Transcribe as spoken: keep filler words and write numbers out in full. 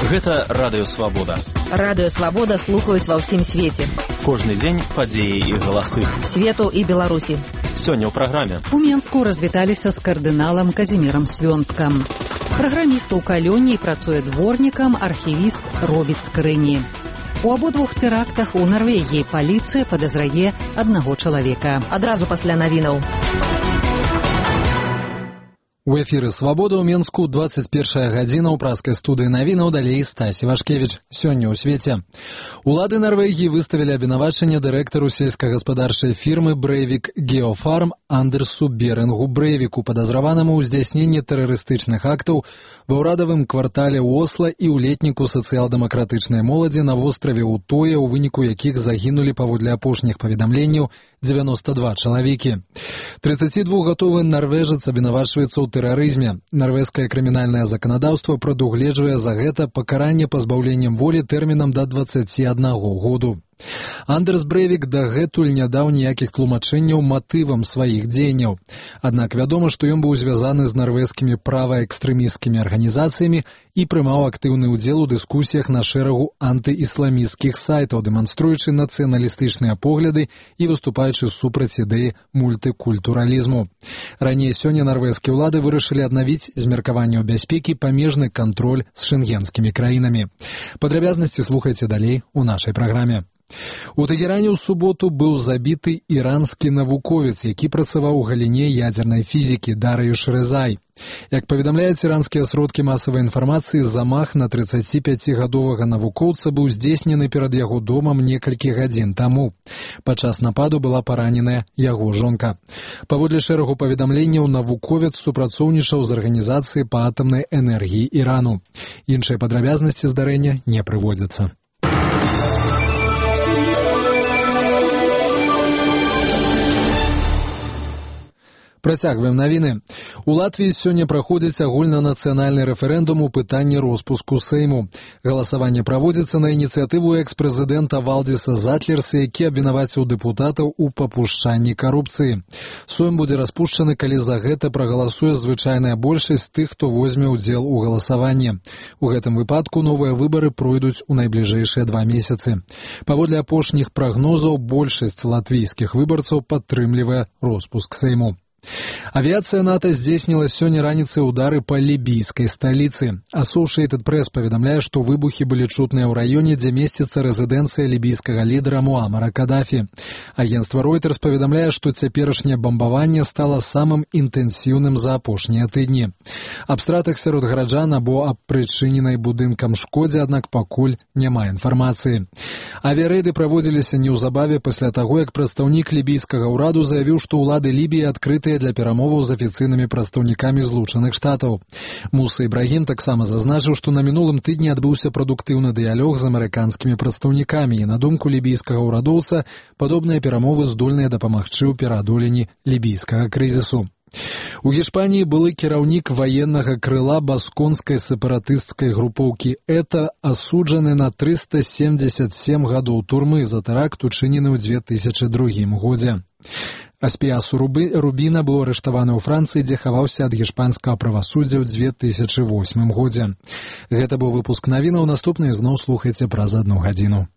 Гэта Радыё Свабода. Радыё Свабода слухаюць ва ўсім свеце. Кожны дзень падзеі і галасы. Свету і Беларусі. Сёння ў праграме. У Менску развіталіся з кардыналам Казімірам Свёнткам. Праграміст у калёні працуе дворнікам, архівіст робіць скрыні. У абодвух тэрактах у Нарвегіі паліцыя падазрае аднаго чалавека. Адразу пасля навінаў. У эфіры «Свабода» ў Менску, двадцать первая гадзіна ў праскай студыі навінаў, далей Стасі Вашкевіч. Сёння ў свеце. Улады Нарвегіі выставілі абвінавачанне дырэктару сельскагаспадарчай фірмы «Брейвик Геофарм» Андерсу Берингу Брейвику, падазраванаму ў здзяйсненні тэрарыстычных актаў ва ўрадавым квартале Осла і ў летніку сацыял-дэмакратычнай моладзі на востраве Утоя, у выніку якіх загінулі паводле апошніх паведамленняў девяносто два чалавекі. тридцатидвухгадовы нарвежец абвінавачваецца ў тэрарызме. Нарвежскае крымінальнае заканадаўства прадугледжвае за гэта пакаранне пазбаўленнем волі тэрмінам да дваццаці аднаго году. Андерс Брейвик дагэтуль не даў ніякіх тлумачэнняў матывам сваіх дзеянняў. Аднак вядома, што ён быў звязаны з нарвежскімі праваэкстрэмісцкімі арганізацыямі і прымаў актыўны ўдзел у дыскусіях на шэрагу антыісламісцкіх сайтаў, дэманструючы нацыяналістычныя погляды і выступаючы супраць ідэі мультыкультуралізму. Раней сёння нарвежскія ўлады вырашылі аднавіць з меркаванняў бяспекі памежны кантроль з шэнгенскімі краінамі. Падрабязнасці слухайце далей у нашай праграме. У Тэгеране ў суботу быў забіты іранскі навуковец, які працаваў у галіне ядзернай фізікі Дарыюш Рэзай. Як паведамляюць іранскія сродкі масавай інфармацыі, замах на трыццаціпяцігадовага навукоўца быў здзейснены перад яго домам некалькі гадзін таму. Падчас нападу была параненая яго жонка. Паводле шэрагу паведамленняў, навуковец супрацоўнічаў з арганізацыяй па атамнай энергіі Ірану. Іншыя падрабязнасці здарэння не прыводзяцца. Працягваем навіны. У Латвіі сёння праходзіць агульнанацыянальны рэферэндум у пытанні роспуску Сейму. Галасаванне праводзіцца на ініцыятыву экс-прэзідэнта Валдіса Затлерса, які абвінаваціў дэпутатаў у папушчанні карупцыі. Сойм будзе распушчаны, калі за гэта прагаласуе звычайная большасць тых, хто возьме ўдзел у галасаванні. У гэтым выпадку новыя выбары пройдуць у найбліжэйшыя два месяцы. Паводле апошніх прагнозаў, большасць латвійскіх выбарцаў падтрымлівае роспуск Сейму. Авіацыя НАТО здзейсніла сёння раніцай удары па лібійскай сталіцы. Associated Press паведамляе, што выбухі былі чутныя ў раёне, дзе месціцца рэзідэнцыя лібійскага лідара Муамара Кадафі. Агенцтва Reuters паведамляе, што цяперашняе бамбаванне стала самым інтэнсіўным за апошнія тыдні. Аб стратах сярод гараджан або аб прычыненай будынкам шкодзе, аднак пакуль няма інфармацыі. Авіярэйды праводзіліся неўзабаве пасля таго, як прадстаўнік лібійскага ўраду заявіў, што ўлады Лібіі адкрытыя для перамоваў з афіцыйнымі прадстаўнікамі Злучаных Штатаў. Муса Ібрагім таксама зазначыў, што на мінулым тыдні адбыўся прадуктыўны дыялог з амерыканскімі прадстаўнікамі, і на думку лібійскага ўрадоўца, падобныя перамовы здольныя дапамагчы ў пераадоленні лібійскага крызісу. У Гішпаніі былы кіраўнік ваеннага крыла басконскай сепаратысцкай групоўкі ЭТА асуджаны на трыста семьдесят семь гадоў турмы за тэракт, учынены ў две тысячы другім годзе. Аспіасу Рубіна быў арыштаваны ў Францыі, дзе хаваўся ад гішпанскага правасуддзя ў две тысячы восьмым годзе. Гэта быў выпуск навінаў, наступны зноў слухайце праз адну гадзіну.